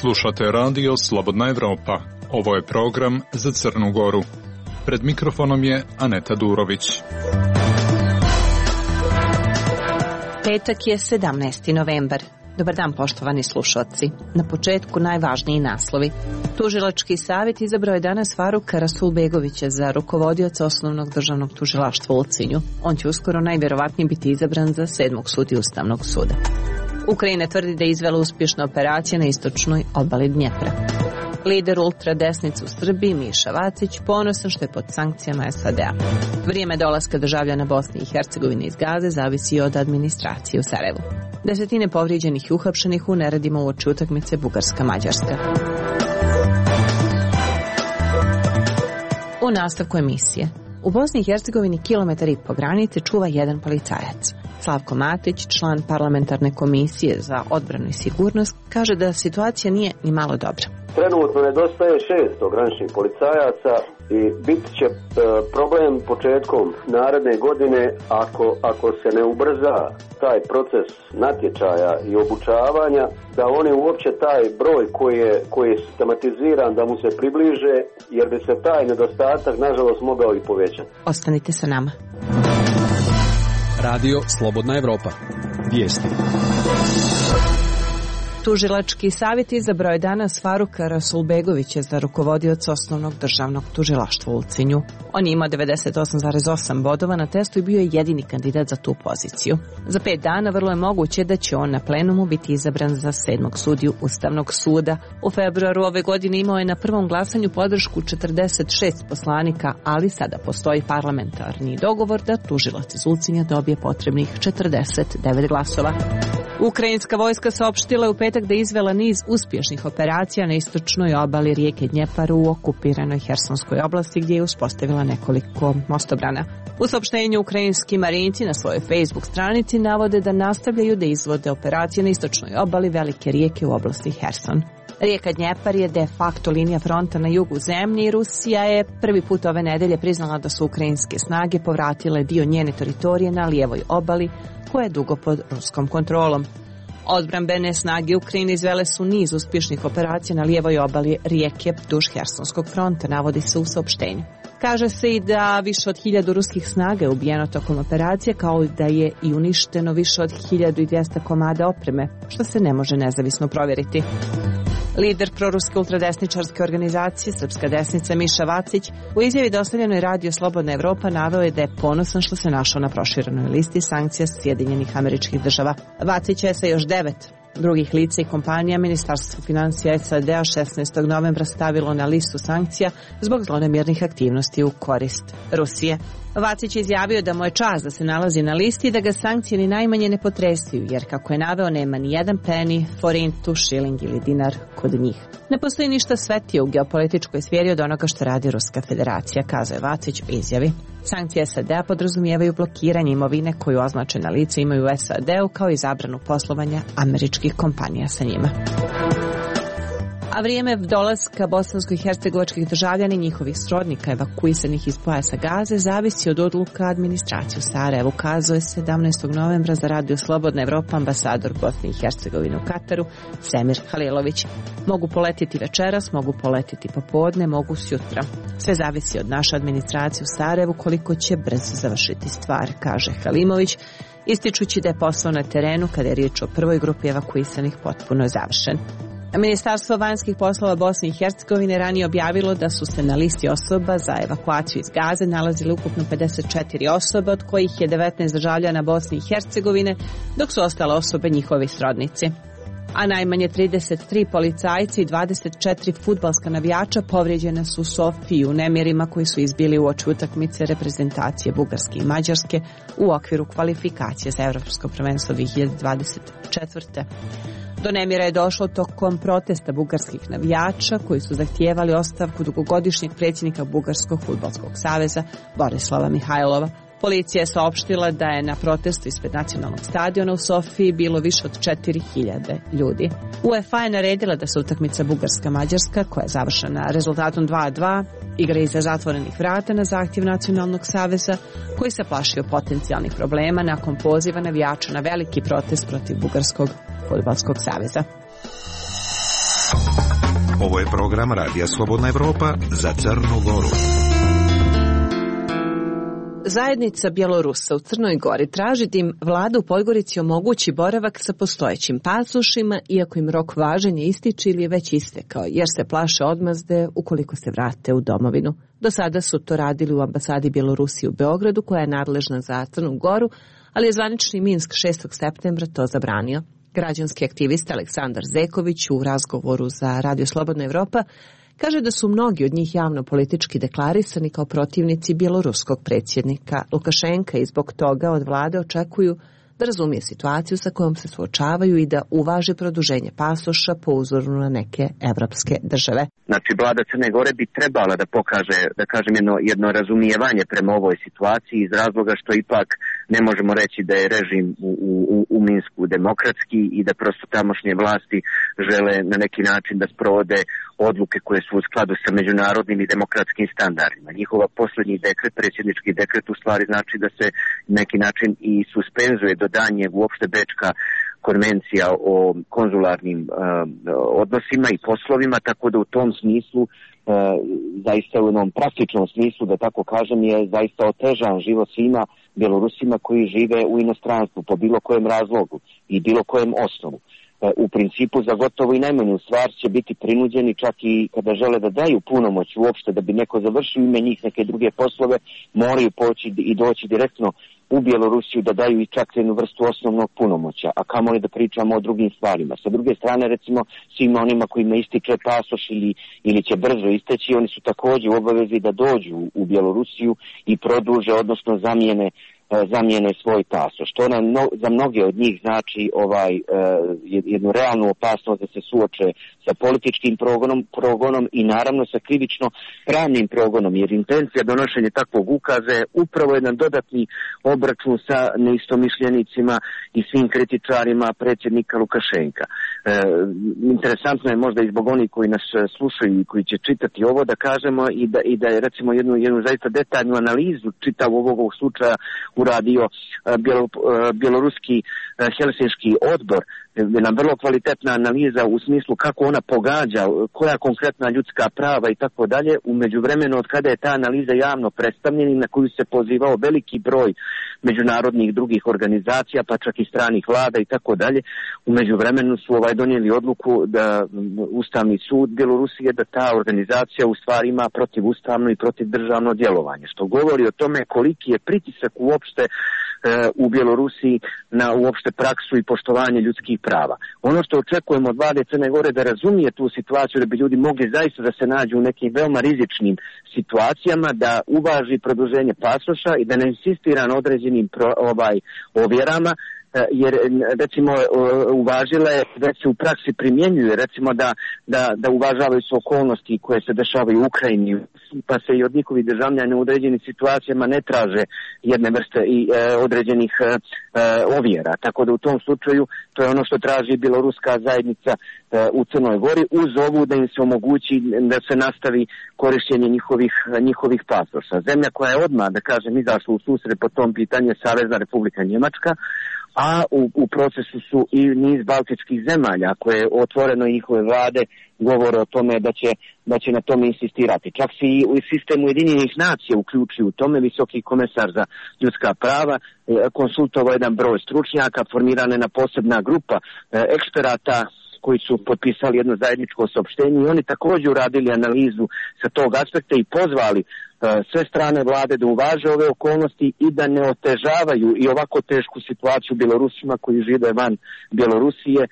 Slušate radio Slobodna Evropa. Ovo je program za Crnu Goru. Pred mikrofonom je Aneta Durović. Petak je 17. novembar. Dobar dan, poštovani slušalci. Na početku najvažniji naslovi. Tužilački savjet izabrao je danas Faruka Rasulbegovića za rukovodioca Osnovnog državnog tužilaštva u Ulcinju. On će uskoro najvjerovatnije biti izabran za 7. sudiju Ustavnog suda. Ukrajina tvrdi da je izvela uspješna operacija na istočnoj obali Dnjepra. Lider ultradesnice u Srbiji, Miša Vacić, ponosan što je pod sankcijama SAD-a. Vrijeme dolaska državljana Bosne i Hercegovine iz Gaze zavisi od administracije u Sarajevu. Desetine povrijeđenih i uhapšenih u neredima uoči utakmice Bugarska-Mađarska. U nastavku emisije. U Bosni i Hercegovini 1,5 km granice čuva jedan policajac. Slavko Matić, član parlamentarne komisije za odbranu i sigurnost, kaže da situacija nije ni malo dobra. Trenutno nedostaje 600 graničnih policajaca i bit će problem početkom naredne godine ako se ne ubrza taj proces natječaja i obučavanja, da oni uopće taj broj koji je sistematiziran da mu se približe, jer bi se taj nedostatak nažalost mogao i povećati. Ostanite sa nama. Radio Slobodna Evropa. Vijesti. Tužilački savjet izabrao je danas Faruka Rasulbegovića za rukovodioca Osnovnog državnog tužilaštva u Ulcinju. On je imao 98,8 bodova na testu i bio je jedini kandidat za tu poziciju. Za 5 dana vrlo je moguće da će on na plenumu biti izabran za 7. sudiju Ustavnog suda. U februaru ove godine imao je na prvom glasanju podršku 46 poslanika, ali sada postoji parlamentarni dogovor da tužilac iz Ulcinja dobije potrebnih 49 glasova. Ukrajinska vojska saopštila je u petak da je izvela niz uspješnih operacija na istočnoj obali rijeke Dnjepar u okupiranoj Hersonskoj oblasti gdje je uspostavila nekoliko mostobrana. U saopštenju ukrajinski marinci na svojoj Facebook stranici navode da nastavljaju da izvode operacije na istočnoj obali velike rijeke u oblasti Herson. Rijeka Dnjepar je de facto linija fronta na jugu zemlje i Rusija je prvi put ove nedelje priznala da su ukrajinske snage povratile dio njene teritorije na lijevoj obali koja je dugo pod ruskom kontrolom. Odbrambene snage Ukrajine izvele su niz uspješnih operacija na lijevoj obali rijeke duž Hersonskog fronta, navodi se u saopštenju. Kaže se i da više od 1000 ruskih snaga je ubijeno tokom operacije, kao i da je i uništeno više od 1200 komada opreme, što se ne može nezavisno provjeriti. Lider proruske ultradesničarske organizacije Srpska desnica Miša Vacić u izjavi dostavljenoj Radio Slobodna Evropa naveo je da je ponosan što se našao na proširenoj listi sankcija Sjedinjenih Američkih Država. Vacić je sa još 9 drugih lica i kompanija Ministarstvo financija SAD-a 16. novembra stavilo na listu sankcija zbog zlonamjernih aktivnosti u korist Rusije. Vacić je izjavio da mu je čast da se nalazi na listi i da ga sankcije ni najmanje ne potresuju, jer kako je naveo nema ni jedan peni, forintu, šiling ili dinar kod njih. Ne postoji ništa svetije u geopolitičkoj sferi od onoga što radi Ruska federacija, kazao je Vacić u izjavi. Sankcije SAD-a podrazumijevaju blokiranje imovine koju označena lica imaju u SAD-u kao i zabranu poslovanja američkih kompanija sa njima. A vrijeme dolaska bosansko-hercegovačkih državljana i njihovih srodnika evakuisanih iz pojasa Gaze zavisi od odluka administracije u Sarajevu, kazuje 17. novembra za Radio Slobodna Evropa ambasador Bosne i Hercegovine u Kataru Semir Halilović. Mogu poletiti večeras, mogu poletiti popodne, mogu sutra. Sve zavisi od naše administracije u Sarajevu koliko će brzo završiti stvar, kaže Halimović, ističući da je posao na terenu kada je riječ o prvoj grupi evakuisanih potpuno završen. Ministarstvo vanjskih poslova Bosne i Hercegovine ranije objavilo da su se na listi osoba za evakuaciju iz Gaze nalazile ukupno 54 osobe, od kojih je 19 državljana Bosne i Hercegovine, dok su ostale osobe njihovi srodnici. A najmanje 33 policajci i 24 fudbalska navijača povrijeđene su u Sofiji u nemirima koji su izbili uoči utakmice reprezentacije Bugarske i Mađarske u okviru kvalifikacije za Evropsko prvenstvo 2024. Do nemira je došlo tokom protesta bugarskih navijača koji su zahtijevali ostavku dugogodišnjeg predsjednika Bugarskog fudbalskog saveza Borislava Mihajlova. Policija je saopštila da je na protestu ispred nacionalnog stadiona u Sofiji bilo više od 4000 ljudi. UEFA je naredila da se utakmica Bugarska-Mađarska, koja je završena rezultatom 2:2, igra iza zatvorenih vrata na zahtjev Nacionalnog saveza, koji se plašio potencijalnih problema nakon poziva navijača na veliki protest protiv Bugarskog fudbalskog saveza. Ovo je program Radija Slobodna Evropa za Crnu Goru. Zajednica Bjelorusa u Crnoj Gori traži da im vlada u Podgorici omogući boravak sa postojećim pasošima, iako im rok važenja ističe ili je već istekao, jer se plaše odmazde ukoliko se vrate u domovinu. Do sada su to radili u ambasadi Bjelorusije u Beogradu, koja je nadležna za Crnu Goru, ali je zvanični Minsk 6. septembra to zabranio. Građanski aktivist Aleksandar Zeković u razgovoru za Radio Slobodna Evropa kaže da su mnogi od njih javno politički deklarisani kao protivnici bjeloruskog predsjednika Lukašenka i zbog toga od vlade očekuju da razumije situaciju sa kojom se suočavaju i da uvaže produženje pasoša po uzoru na neke evropske države. Znači, vlada Crne Gore bi trebala da pokaže, da kažem, jedno razumijevanje prema ovoj situaciji iz razloga što ipak ne možemo reći da je režim u Minsku demokratski i da prosto tamošnje vlasti žele na neki način da sprovode odluke koje su u skladu sa međunarodnim i demokratskim standardima. Njihova posljednji dekret, predsjednički dekret, u stvari znači da se na neki način i suspenzuje dodanje uopšte Bečka konvencija o konzularnim odnosima i poslovima, tako da u tom smislu, zaista u jednom praktičnom smislu, da tako kažem, je zaista otežan život svima Bjelorusima koji žive u inostranstvu po bilo kojem razlogu i bilo kojem osnovu. U principu za gotovo i najmanju stvar će biti prinuđeni, čak i kada žele da daju punomoć uopšte da bi neko završio ime njih neke druge poslove, moraju poći i doći direktno u Bjelorusiju da daju i čak jednu vrstu osnovnog punomoća, a kamoli da pričamo o drugim stvarima. Sa druge strane, recimo, svima onima kojima ističe pasoš ili će brzo isteći, oni su također u obavezi da dođu u Bjelorusiju i produže, odnosno zamijene svoj pasoš. To za mnoge od njih znači jednu realnu opasnost da se suoče sa političkim progonom i naravno sa krivično pravnim progonom, jer intencija donošenja takvog ukaza je upravo jedan dodatni obračun sa neistomišljenicima i svim kritičarima predsjednika Lukašenka. Interesantno je možda i zbog onih koji nas slušaju i koji će čitati ovo da kažemo i da je recimo jednu zaista detaljnu analizu čitavog ovog slučaja uradio bjeloruski Helsinški odbor, jedna vrlo kvalitetna analiza u smislu kako ona pogađa, koja konkretna ljudska prava i tako dalje. U međuvremenu od kada je ta analiza javno predstavljena i na koju se pozivao veliki broj međunarodnih drugih organizacija, pa čak i stranih vlada i tako dalje, u međuvremenu su donijeli odluku da Ustavni sud Bjelorusije, da ta organizacija u stvari ima protivustavno i protivdržavno djelovanje, što govori o tome koliki je pritisak uopšte u Bjelorusiji na uopšte praksu i poštovanje ljudskih prava. Ono što očekujemo od vlade Crne Gore da razumije tu situaciju, da bi ljudi mogli zaista da se nađu u nekim veoma rizičnim situacijama, da uvaži produženje pasoša i da ne insistira na određenim ovjerama, jer recimo uvažila je, već se u praksi primjenjuje, recimo da uvažavaju se okolnosti koje se dešavaju u Ukrajini, pa se i od njihovih državljana u određenim situacijama ne traže jedne vrste i određenih ovjera. Tako da u tom slučaju to je ono što traži bjeloruska zajednica u Crnoj Gori, uz ovu da im se omogući da se nastavi korištenje njihovih pasoša. Zemlja koja je odmah, da kažem, izašla u susret po tom pitanju je Savezna Republika Njemačka, a u procesu su i niz baltičkih zemalja koje otvoreno njihove vlade govore o tome da će na tome insistirati. Čak se i u sistemu Ujedinjenih nacija uključuju u tome. Visoki komesar za ljudska prava konsultovao jedan broj stručnjaka, formirana je posebna grupa eksperata koji su potpisali jedno zajedničko saopštenje i oni također uradili analizu sa tog aspekta i pozvali sve strane vlade da uvaže ove okolnosti i da ne otežavaju i ovako tešku situaciju Bjelorusima koji žive van Bjelorusije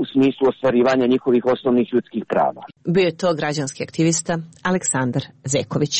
u smislu ostvarivanja njihovih osnovnih ljudskih prava. Bio je to građanski aktivista Aleksandar Zeković.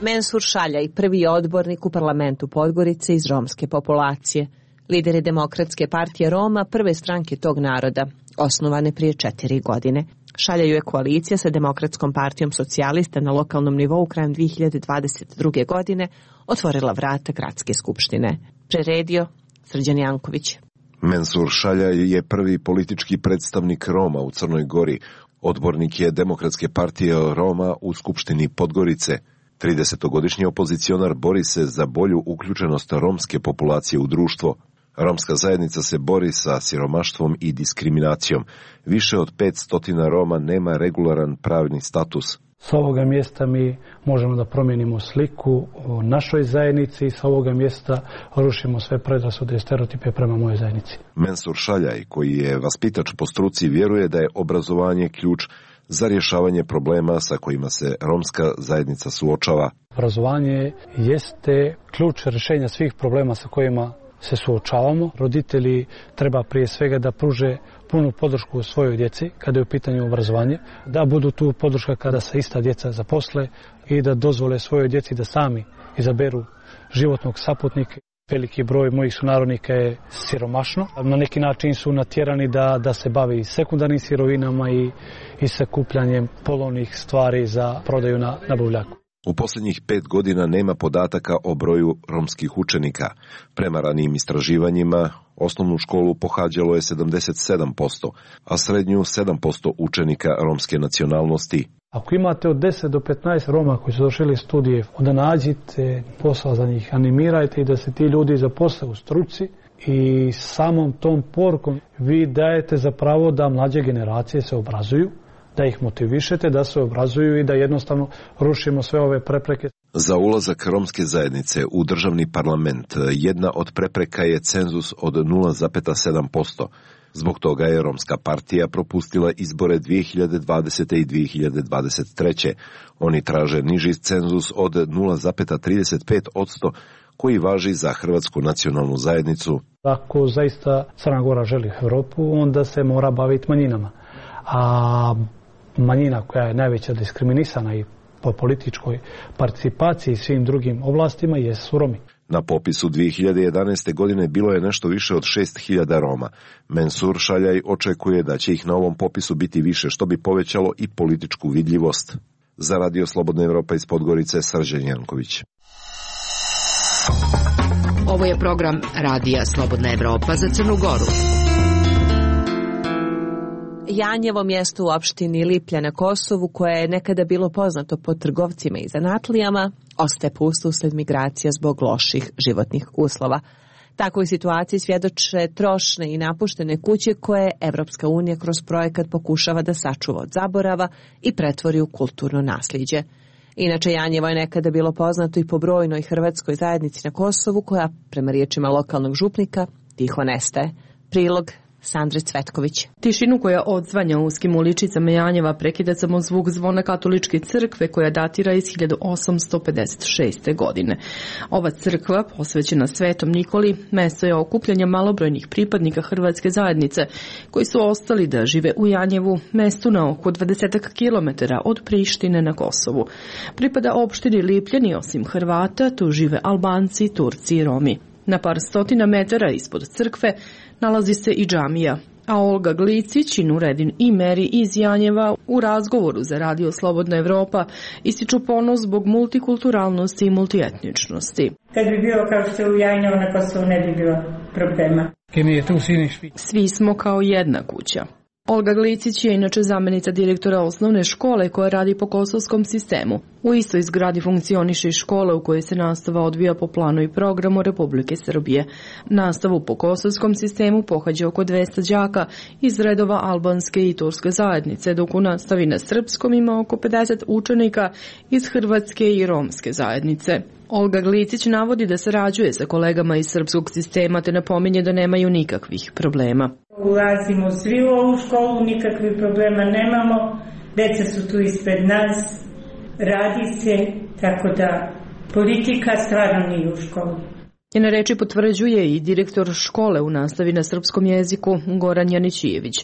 Mensur Šaljaj, prvi odbornik u parlamentu Podgorice iz romske populacije. Lider je Demokratske partije Roma, prve stranke tog naroda, osnovane prije 4 godine. Šaljaju je koalicija sa Demokratskom partijom socijalista na lokalnom nivou krajem 2022. godine otvorila vrata gradske skupštine. Preredio Srđan Janković. Mensur Šaljaj je prvi politički predstavnik Roma u Crnoj Gori. Odbornik je Demokratske partije Roma u Skupštini Podgorice. 30-godišnji opozicionar bori se za bolju uključenost romske populacije u društvo. Romska zajednica se bori sa siromaštvom i diskriminacijom. Više od 500 Roma nema regularan pravni status. S ovoga mjesta mi možemo da promijenimo sliku o našoj zajednici i sa ovoga mjesta rušimo sve predrasude i stereotipe prema mojoj zajednici. Mensur Šaljaj, koji je vaspitač po struci, vjeruje da je obrazovanje ključ za rješavanje problema sa kojima se romska zajednica suočava. Obrazovanje jeste ključ rješenja svih problema sa kojima se suočavamo. Roditelji treba prije svega da pruže punu podršku svojoj djeci kada je u pitanju obrazovanje, da budu tu podrška kada se ista djeca zaposle i da dozvole svojoj djeci da sami izaberu životnog saputnika. Veliki broj mojih sunarodnika je siromašno. Na neki način su natjerani da se bave i sekundarnim sirovinama i sakupljanjem polovnih stvari za prodaju na buvljaku. U posljednjih 5 godina nema podataka o broju romskih učenika. Prema ranijim istraživanjima, osnovnu školu pohađalo je 77%, a srednju 7% učenika romske nacionalnosti. Ako imate od 10 do 15 Roma koji su došli studije, onda nađite posao za njih, animirajte i da se ti ljudi zaposle u struci i samom tom porukom vi dajete za pravo da mlađe generacije se obrazuju, da ih motivišete, da se obrazuju i da jednostavno rušimo sve ove prepreke. Za ulazak romske zajednice u državni parlament jedna od prepreka je cenzus od 0,7%. Zbog toga je Romska partija propustila izbore 2020. i 2023. Oni traže niži cenzus od 0,35%, koji važi za Hrvatsku nacionalnu zajednicu. Ako zaista Crna Gora želi Europu, onda se mora baviti manjinama. A manjina koja je najveća diskriminisana i po političkoj participaciji i svim drugim oblastima jesu Romi. Na popisu 2011. godine bilo je nešto više od 6.000 Roma. Mensur Šaljaj očekuje da će ih na ovom popisu biti više, što bi povećalo i političku vidljivost. Za Radio Slobodna Evropa iz Podgorice, Srđan Janković. Ovo je program Radija Slobodna Evropa za Crnu Goru. Janjevo, mjesto u opštini Liplja na Kosovu, koje je nekada bilo poznato po trgovcima i zanatlijama, ostaje pusto usled migracija zbog loših životnih uslova. Takvoj situaciji svjedoče trošne i napuštene kuće koje Evropska unija kroz projekat pokušava da sačuva od zaborava i pretvori u kulturno nasljeđe. Inače, Janjevo je nekada bilo poznato i po brojnoj hrvatskoj zajednici na Kosovu, koja, prema riječima lokalnog župnika, tiho nestaje. Prilog Sandre Cvetković. Tišinu koja odzvanja u uskim uličicama Janjeva prekida samo zvuk zvona katoličke crkve koja datira iz 1856. godine. Ova crkva, posvećena Svetom Nikoli, mjesto je okupljanja malobrojnih pripadnika hrvatske zajednice koji su ostali da žive u Janjevu, mjestu na oko 20 kilometara od Prištine na Kosovu. Pripada opštini Lipljani, osim Hrvata, tu žive Albanci, Turci i Romi. Na par stotina metara ispod crkve nalazi se i džamija, a Olga Glicić i Nuredin Imeri iz Janjeva u razgovoru za Radio Slobodna Evropa ističu ponos zbog multikulturalnosti i multietničnosti. Kad bi bilo kao što je u Janjevu na Kosovu, ne bi bilo problema. Svi smo kao jedna kuća. Olga Glicić je inače zamjenica direktora osnovne škole koja radi po kosovskom sistemu. U istoj zgradi funkcioniše i škola u kojoj se nastava odvija po planu i programu Republike Srbije. Nastavu po kosovskom sistemu pohađa oko 200 đaka iz redova albanske i turske zajednice, dok u nastavi na srpskom ima oko 50 učenika iz hrvatske i romske zajednice. Olga Glicić navodi da sarađuje sa kolegama iz srpskog sistema te napominje da nemaju nikakvih problema. Ulazimo svi u ovu školu, nikakvih problema nemamo, deca su tu ispred nas, radi se, tako da politika stvarno nije u školu. Njene reči potvrđuje i direktor škole u nastavi na srpskom jeziku Goran Janićijević.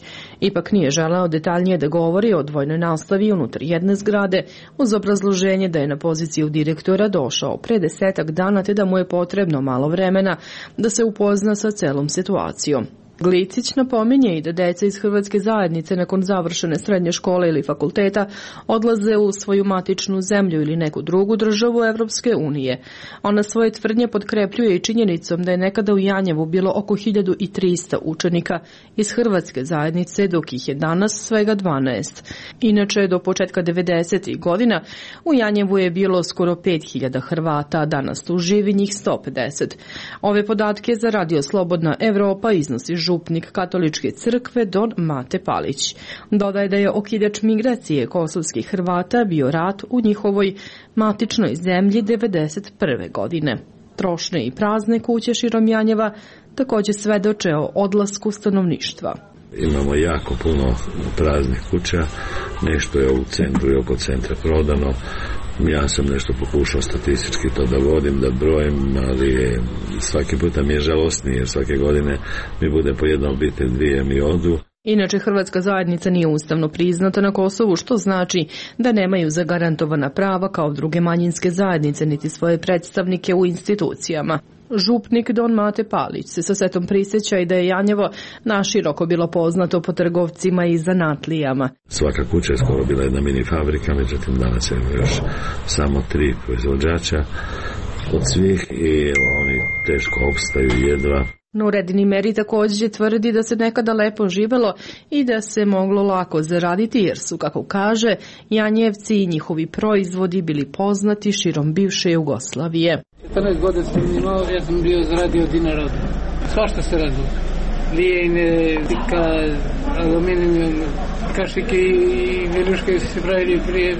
Ipak nije želeo detaljnije da govori o dvojnoj nastavi unutar jedne zgrade uz obrazloženje da je na poziciju direktora došao pre 10 dana te da mu je potrebno malo vremena da se upozna sa celom situacijom. Glicić napominje i da deca iz hrvatske zajednice nakon završene srednje škole ili fakulteta odlaze u svoju matičnu zemlju ili neku drugu državu Evropske unije. Ona svoje tvrdnje potkrepljuje i činjenicom da je nekada u Janjevu bilo oko 1300 učenika iz hrvatske zajednice, dok ih je danas svega 12. Inače, do početka 90. godina u Janjevu je bilo skoro 5000 Hrvata, a danas tu živi njih 150. Ove podatke za Radio Slobodna Evropa iznosi župnik katoličke crkve Don Mate Palić. Dodaje da je okidač migracije kosovskih Hrvata bio rat u njihovoj matičnoj zemlji 1991. godine. Trošne i prazne kuće širom Janjeva također svedoče o odlasku stanovništva. Imamo jako puno praznih kuća, nešto je u centru i oko centra prodano. Ja sam nešto pokušao statistički to da vodim, da brojim, ali svaki puta mi je žalostnije, jer svake godine mi bude po jedna obitelj, dvije mi odu. Inače, hrvatska zajednica nije ustavno priznata na Kosovu, što znači da nemaju zagarantovana prava kao druge manjinske zajednice niti svoje predstavnike u institucijama. Župnik Don Mate Palić se sa setom prisjeća i da je Janjevo naširoko bilo poznato po trgovcima i zanatlijama. Svaka kuća je skoro bila jedna mini fabrika, međutim danas je još samo 3 proizvođača od svih i oni teško opstaju jedva. Nureddin Meri također tvrdi da se nekada lepo živelo i da se moglo lako zaraditi jer su, kako kaže, Janjevci i njihovi proizvodi bili poznati širom bivše Jugoslavije. 14 godina sam imao, ja sam bio zaradio dinara. Svašta se radilo. Lijene, tika, aluminijum, kašike i viljuške su se pravili prije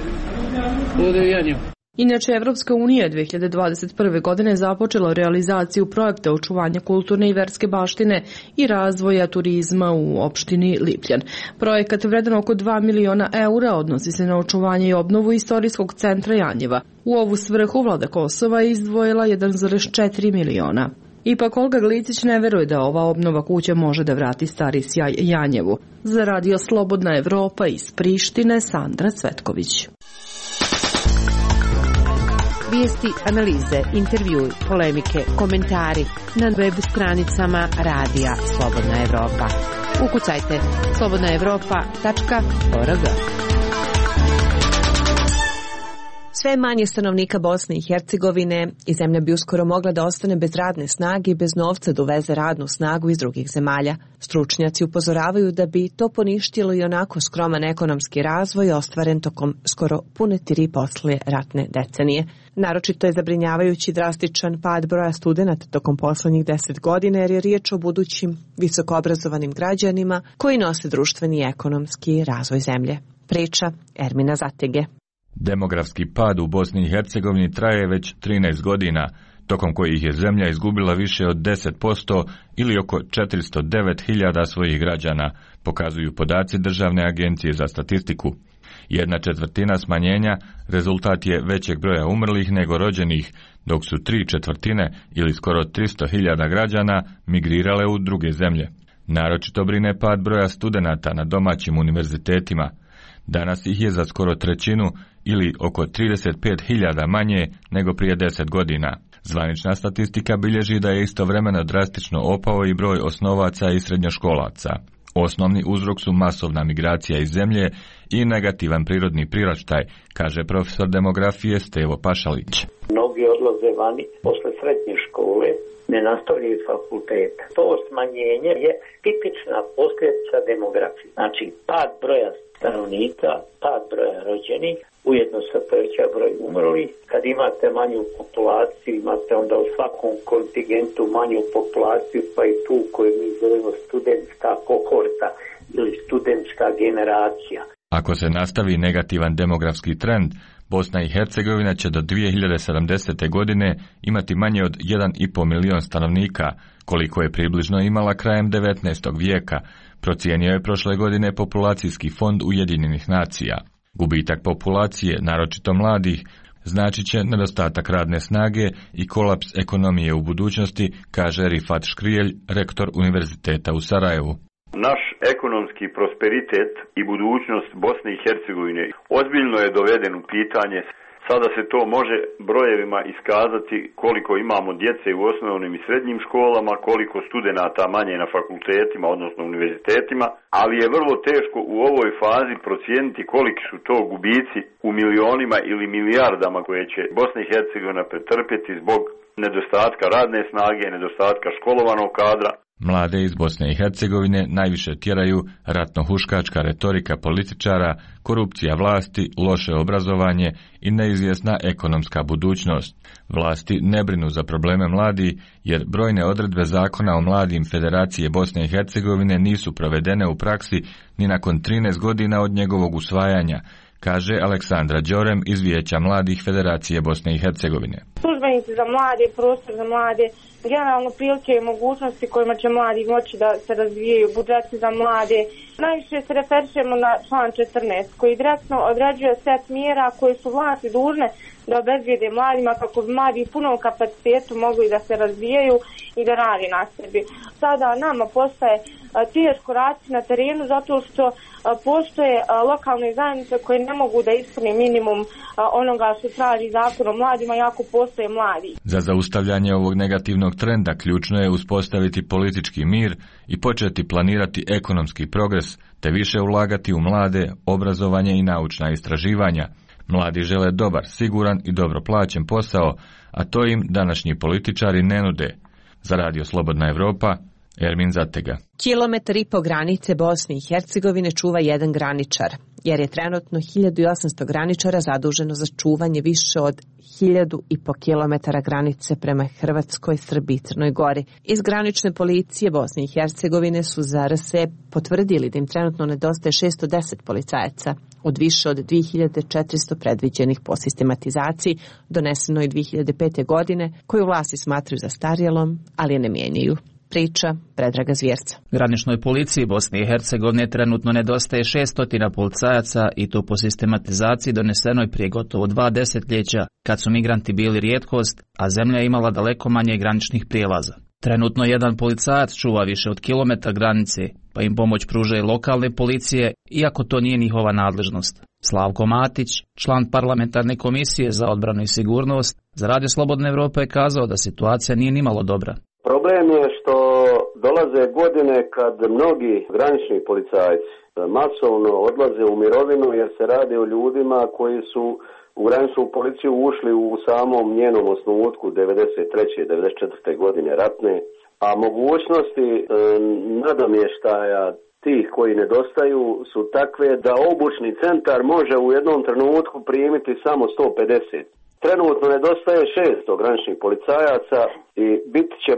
ovdje u Janjevu. Inače, Evropska unija 2021. godine započela realizaciju projekta očuvanja kulturne i verske baštine i razvoja turizma u opštini Lipljan. Projekat vredan oko 2 miliona eura odnosi se na očuvanje i obnovu istorijskog centra Janjeva. U ovu svrhu vlada Kosova je izdvojila 1,4 miliona. Ipak Olga Glicić ne veruje da ova obnova kuće može da vrati stari sjaj Janjevu. Za Radio Slobodna Evropa iz Prištine, Sandra Cvetković. Vijesti, analize, intervjui, polemike, komentari na web stranicama Radija Slobodna Evropa. Ukucajte slobodnaevropa.org. Sve manje stanovnika Bosne i Hercegovine i zemlja bi uskoro mogla da ostane bez radne snage i bez novca da uveze radnu snagu iz drugih zemalja. Stručnjaci upozoravaju da bi to poništilo i onako skroman ekonomski razvoj ostvaren tokom skoro pune 3 poslije ratne decenije. Naročito je zabrinjavajući drastičan pad broja studenata tokom poslednjih 10 godina jer je riječ o budućim visokoobrazovanim građanima koji nose društveni i ekonomski razvoj zemlje. Priča Ermina Zatege. Demografski pad u Bosni i Hercegovini traje već 13 godina, tokom kojih je zemlja izgubila više od 10% ili oko 409.000 svojih građana, pokazuju podaci Državne agencije za statistiku. 1/4 smanjenja rezultat je većeg broja umrlih nego rođenih, dok su 3/4 ili skoro 300.000 građana migrirale u druge zemlje. Naročito brine pad broja studenata na domaćim univerzitetima. Danas ih je za skoro 1/3 ili oko 35.000 manje nego prije 10 godina. Zvanična statistika bilježi da je istovremeno drastično opao i broj osnovaca i srednjoškolaca. Osnovni uzrok su masovna migracija iz zemlje i negativan prirodni priraštaj, kaže profesor demografije Stevo Pašalić. Mnogi odlaze vani posle srednje škole, ne nastavljaju fakultet. To smanjenje je tipična posljedica demografije. Znači, pad broja stanovnika, pad broja rođenih, ujedno se poveća broj umrlih. Kad imate manju populaciju, imate onda u svakom kontingentu manju populaciju, pa i tu koju mi zovemo studentska kohorta ili studentska generacija. Ako se nastavi negativan demografski trend, Bosna i Hercegovina će do 2070. godine imati manje od 1,5 milion stanovnika, koliko je približno imala krajem 19. vijeka, procijenio je prošle godine Populacijski fond Ujedinjenih nacija. Gubitak populacije, naročito mladih, značit će nedostatak radne snage i kolaps ekonomije u budućnosti, kaže Rifat Škrijelj, rektor Univerziteta u Sarajevu. Naš ekonomski prosperitet i budućnost Bosne i Hercegovine ozbiljno je doveden u pitanje Sada se to može brojevima iskazati koliko imamo djece u osnovnim i srednjim školama, koliko studenata manje na fakultetima, odnosno univerzitetima, ali je vrlo teško u ovoj fazi procijeniti koliki su to gubici u milionima ili milijardama koje će Bosna i Hercegovina pretrpjeti zbog nedostatka radne snage, nedostatka školovanog kadra. Mlade iz Bosne i Hercegovine najviše tjeraju ratno-huškačka retorika političara, korupcija vlasti, loše obrazovanje i neizvjesna ekonomska budućnost. Vlasti ne brinu za probleme mladi, jer brojne odredbe zakona o mladim Federacije Bosne i Hercegovine nisu provedene u praksi ni nakon 13 godina od njegovog usvajanja, kaže Aleksandra Đorem iz Vijeća mladih Federacije Bosne i Hercegovine. Službenici za mlade, prostor za mlade, generalno prilike i mogućnosti kojima će mladi moći da se razvijaju, budžeti za mlade. Najviše se referišemo na član 14 koji direktno određuje set mjera koje su vlasti dužne da obezbijede mladima kako bi mladi u punom kapacitetu mogli da se razvijaju i da radi na sebi. Sada nama postaje teško raditi na terenu zato što postoje lokalne zajednice koje ne mogu da ispune minimum onoga što traži zakon o mladima, jako postoje mladi. Za zaustavljanje ovog negativnog trenda ključno je uspostaviti politički mir i početi planirati ekonomski progres, te više ulagati u mlade, obrazovanje i naučna istraživanja. Mladi žele dobar, siguran i dobro plaćen posao, a to im današnji političari ne nude. Za Radio Slobodna Evropa, Ermin Zatega. Kilometar i po granice Bosne i Hercegovine čuva jedan graničar, jer je trenutno 1800 graničara zaduženo za čuvanje više od 1000,5 kilometara granice prema Hrvatskoj, Srbiji i Crnoj Gori. Iz granične policije Bosne i Hercegovine su za RS potvrdili da im trenutno nedostaje 610 policajaca od više od 2400 predviđenih po sistematizaciji donesenoj 2005. godine, koju vlasti smatraju zastarjelom, ali je ne mijenjaju. Priča Predraga Zvjerca. Graničnoj policiji Bosne i Hercegovine trenutno nedostaje 600 policajaca i to po sistematizaciji donesenoj prije gotovo 2 desetljeća, kad su migranti bili rijetkost, a zemlja je imala daleko manje graničnih prijelaza. Trenutno jedan policajac čuva više od kilometra granice, pa im pomoć pružaju lokalne policije, iako to nije njihova nadležnost. Slavko Matić, član parlamentarne komisije za odbranu i sigurnost, za Radio Slobodna Evropa je kazao da situacija nije nimalo dobra. Problem je što dolaze godine kad mnogi granični policajci masovno odlaze u mirovinu jer se radi o ljudima koji su u graničnu policiju ušli u samom njenom osnutku 93. 94. godine ratne, a mogućnosti nadomještaja tih koji nedostaju su takve da obučni centar može u jednom trenutku primiti samo 150. Trenutno nedostaje 600 graničnih policajaca i bit će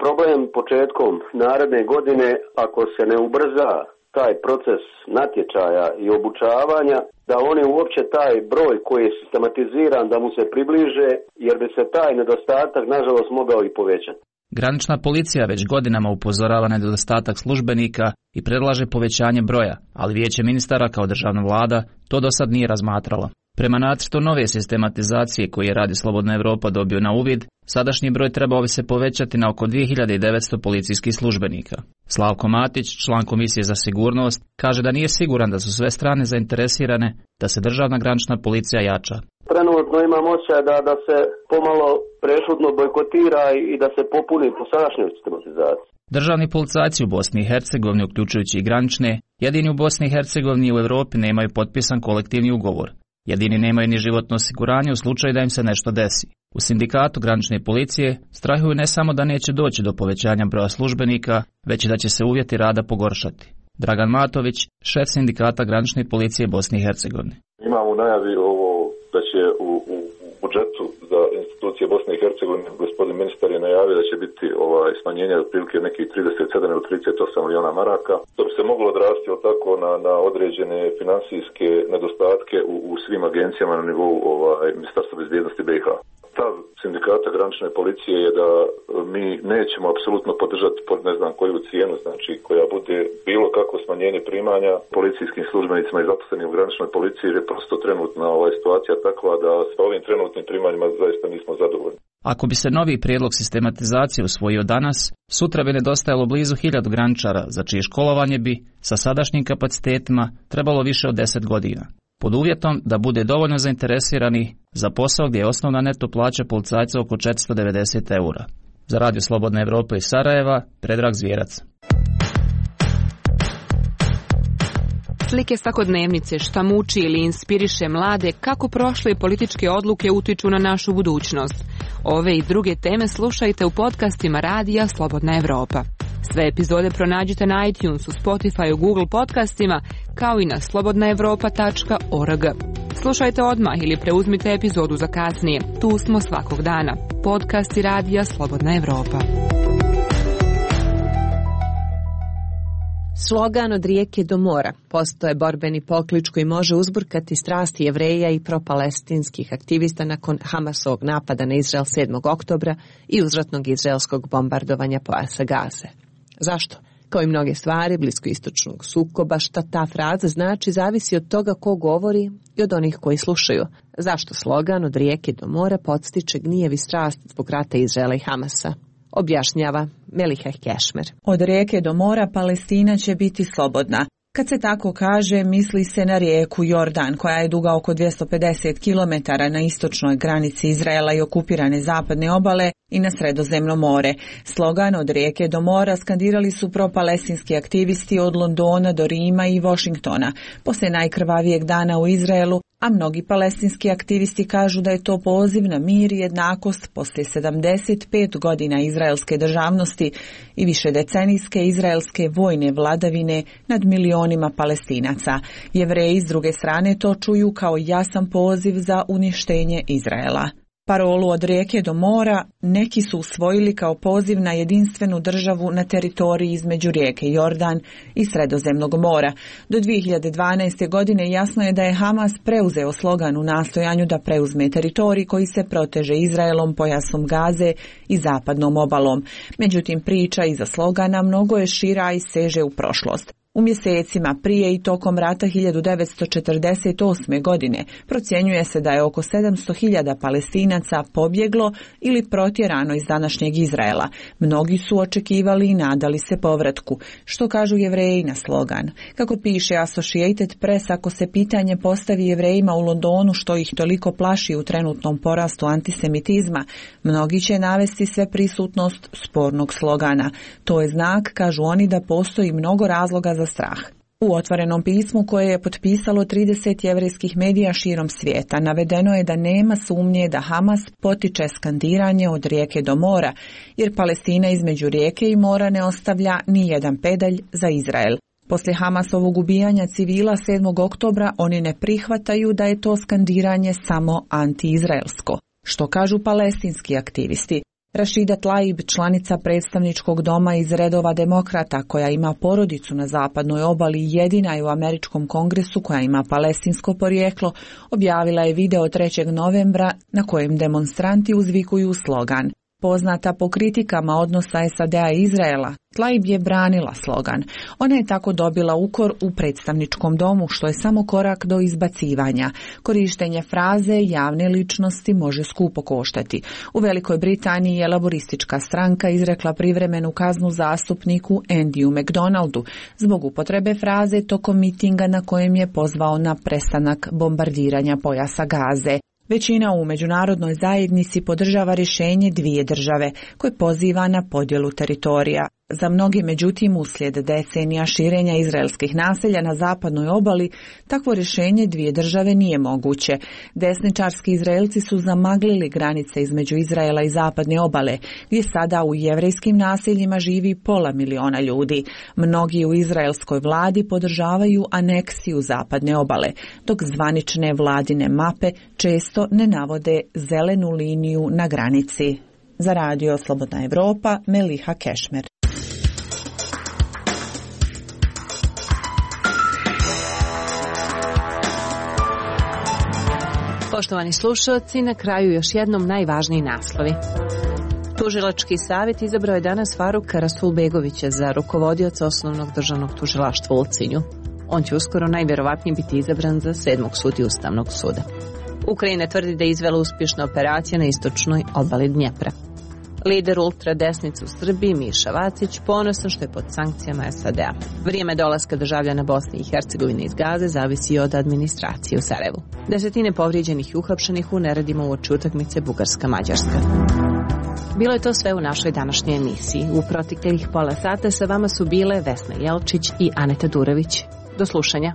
problem početkom naredne godine ako se ne ubrza taj proces natječaja i obučavanja, da oni uopće taj broj koji je sistematiziran da mu se približe, jer bi se taj nedostatak nažalost mogao i povećati. Granična policija već godinama upozorava na nedostatak službenika i predlaže povećanje broja, ali Vijeće ministara kao državna vlada to do sad nije razmatralo. Prema nacrtu nove sistematizacije koji je Radio Slobodna Evropa dobio na uvid, sadašnji broj trebao bi se povećati na oko 2900 policijskih službenika. Slavko Matić, član Komisije za sigurnost, kaže da nije siguran da su sve strane zainteresirane da se državna granična policija jača. Trenutno imam osjećaj da se pomalo prešutno bojkotira i da se popuni po sadašnjoj sistematizaciji. Državni policajci u Bosni i Hercegovini, uključujući i granične, jedini u Bosni i Hercegovini i u Europi nemaju potpisan kolektivni ugovor. Jedini nemaju ni životno osiguranje u slučaju da im se nešto desi. U sindikatu granične policije strahuju ne samo da neće doći do povećanja broja službenika, već i da će se uvjeti rada pogoršati. Dragan Matović, šef sindikata granične policije Bosne i Hercegovine. Imamo u najavi ovo da će u budžetu za institucije Bosne i Hercegovine gospodin ministar je najavio da će biti smanjenje otprilike nekih 37 ili 38 milijuna maraka. To bi se moglo odrasti tako na određene financijske nedostatke u svim agencijama na nivou Ministarstva bezbjednosti BiH. Stav sindikata granične policije je da mi nećemo apsolutno podržati pod ne znam koju cijenu, znači koja bude bilo kako smanjenje primanja policijskim službenicima i zaposlenim u graničnoj policiji, jer je prosto trenutna situacija takva da s ovim trenutnim primanjima zaista nismo zadovoljni. Ako bi se novi prijedlog sistematizacije usvojio danas, sutra bi nedostajalo blizu 1000 graničara, za čije školovanje bi, sa sadašnjim kapacitetima, trebalo više od 10 godina. pod uvjetom da bude dovoljno zainteresirani za posao gdje je osnovna neto plaća policajca oko 490 eura. Za Radio Slobodna Evropa iz Sarajeva, Predrag Zvjerac. Slike svakodnevnice, šta muči ili inspiriše mlade, kako prošle političke odluke utiču na našu budućnost. Ove i druge teme slušajte u podcastima Radija Slobodna Evropa. Sve epizode pronađite na iTunesu, Spotifyu, Google podcastima, kao i na slobodnaevropa.org. Slušajte odmah ili preuzmite epizodu za kasnije. Tu smo svakog dana. Podcasti Radija Slobodna Evropa. Slogan od rijeke do mora postao je borbeni poklič koji može uzburkati strasti Jevreja i propalestinskih aktivista nakon Hamasovog napada na Izrael 7. oktobra i uzvratnog izraelskog bombardovanja pojasa Gaze. Zašto? Kao i mnoge stvari bliskoistočnog sukoba, šta ta fraza znači zavisi od toga ko govori i od onih koji slušaju. Zašto slogan od rijeke do mora podstiče gnjev i strast zbog rata Izraela i Hamasa? Objašnjava Meliha Kešmer. Od rijeke do mora Palestina će biti slobodna. Kad se tako kaže, misli se na rijeku Jordan, koja je duga oko 250 km na istočnoj granici Izraela i okupirane zapadne obale i na Sredozemno more. Slogan od rijeke do mora skandirali su propalestinski aktivisti od Londona do Rima i Washingtona, poslije najkrvavijeg dana u Izraelu, a mnogi palestinski aktivisti kažu da je to poziv na mir i jednakost poslije 75 godina izraelske državnosti i višedecenijske izraelske vojne vladavine nad milionima Palestinaca. Jevreji s druge strane to čuju kao jasan poziv za uništenje Izraela. Parolu od rijeke do mora neki su usvojili kao poziv na jedinstvenu državu na teritoriji između rijeke Jordan i Sredozemnog mora. Do 2012. godine jasno je da je Hamas preuzeo slogan u nastojanju da preuzme teritorij koji se proteže Izraelom, pojasom Gaze i zapadnom obalom. Međutim, priča iza slogana mnogo je šira i seže u prošlost. U mjesecima prije i tokom rata 1948. godine procjenjuje se da je oko 700.000 Palestinaca pobjeglo ili protjerano iz današnjeg Izraela. Mnogi su očekivali i nadali se povratku. Što kažu Jevreji na slogan? Kako piše Associated Press, ako se pitanje postavi Jevrejima u Londonu što ih toliko plaši u trenutnom porastu antisemitizma, mnogi će navesti sve prisutnost spornog slogana. To je znak, kažu oni, da postoji mnogo razloga za strah. U otvorenom pismu koje je potpisalo 30 jevrejskih medija širom svijeta navedeno je da nema sumnje da Hamas potiče skandiranje od rijeke do mora, jer Palestina između rijeke i mora ne ostavlja ni jedan pedalj za Izrael. Poslije Hamasovog ubijanja civila 7. oktobra oni ne prihvataju da je to skandiranje samo anti-izraelsko. Što kažu palestinski aktivisti? Rashida Tlaib, članica predstavničkog doma iz redova demokrata koja ima porodicu na zapadnoj obali, jedina je u američkom kongresu koja ima palestinsko porijeklo, objavila je video 3. novembra na kojem demonstranti uzvikuju slogan. Poznata po kritikama odnosa SAD-a i Izraela, Tlaib je branila slogan. Ona je tako dobila ukor u predstavničkom domu, što je samo korak do izbacivanja. Korištenje fraze javne ličnosti može skupo koštati. U Velikoj Britaniji je laboristička stranka izrekla privremenu kaznu zastupniku Andyu McDonaldu zbog upotrebe fraze tokom mitinga na kojem je pozvao na prestanak bombardiranja pojasa Gaze. Većina u međunarodnoj zajednici podržava rješenje dvije države koje poziva na podjelu teritorija. Za mnogi, međutim, uslijed decenija širenja izraelskih naselja na zapadnoj obali, takvo rješenje dvije države nije moguće. Desničarski Izraelci su zamaglili granice između Izraela i zapadne obale, gdje sada u jevrejskim naseljima živi 500.000 ljudi. Mnogi u izraelskoj vladi podržavaju aneksiju zapadne obale, dok zvanične vladine mape često ne navode zelenu liniju na granici. Za Radio Slobodna Evropa, Meliha Kešmer. Poštovani slušalci, na kraju još jednom najvažniji naslovi. Tužilački savjet izabrao je danas Faruka Rasulbegovića za rukovodioca Osnovnog državnog tužilaštva u Ulcinju. On će uskoro najvjerovatnije biti izabran za 7. sudiju Ustavnog suda. Ukrajina tvrdi da je izvela uspješna operacija na istočnoj obali Dnjepra. Lider ultradesnice u Srbiji, Miša Vacić, ponosan što je pod sankcijama SAD-a. Vrijeme dolaska državljana Bosne i Hercegovine iz Gaze zavisi od administracije u Sarajevu. Desetine povrijeđenih i uhapšenih u neredima uoči utakmice Bugarska-Mađarska. Bilo je to sve u našoj današnjoj emisiji. U proteklih pola sata sa vama su bile Vesna Jelčić i Aneta Durević. Do slušanja.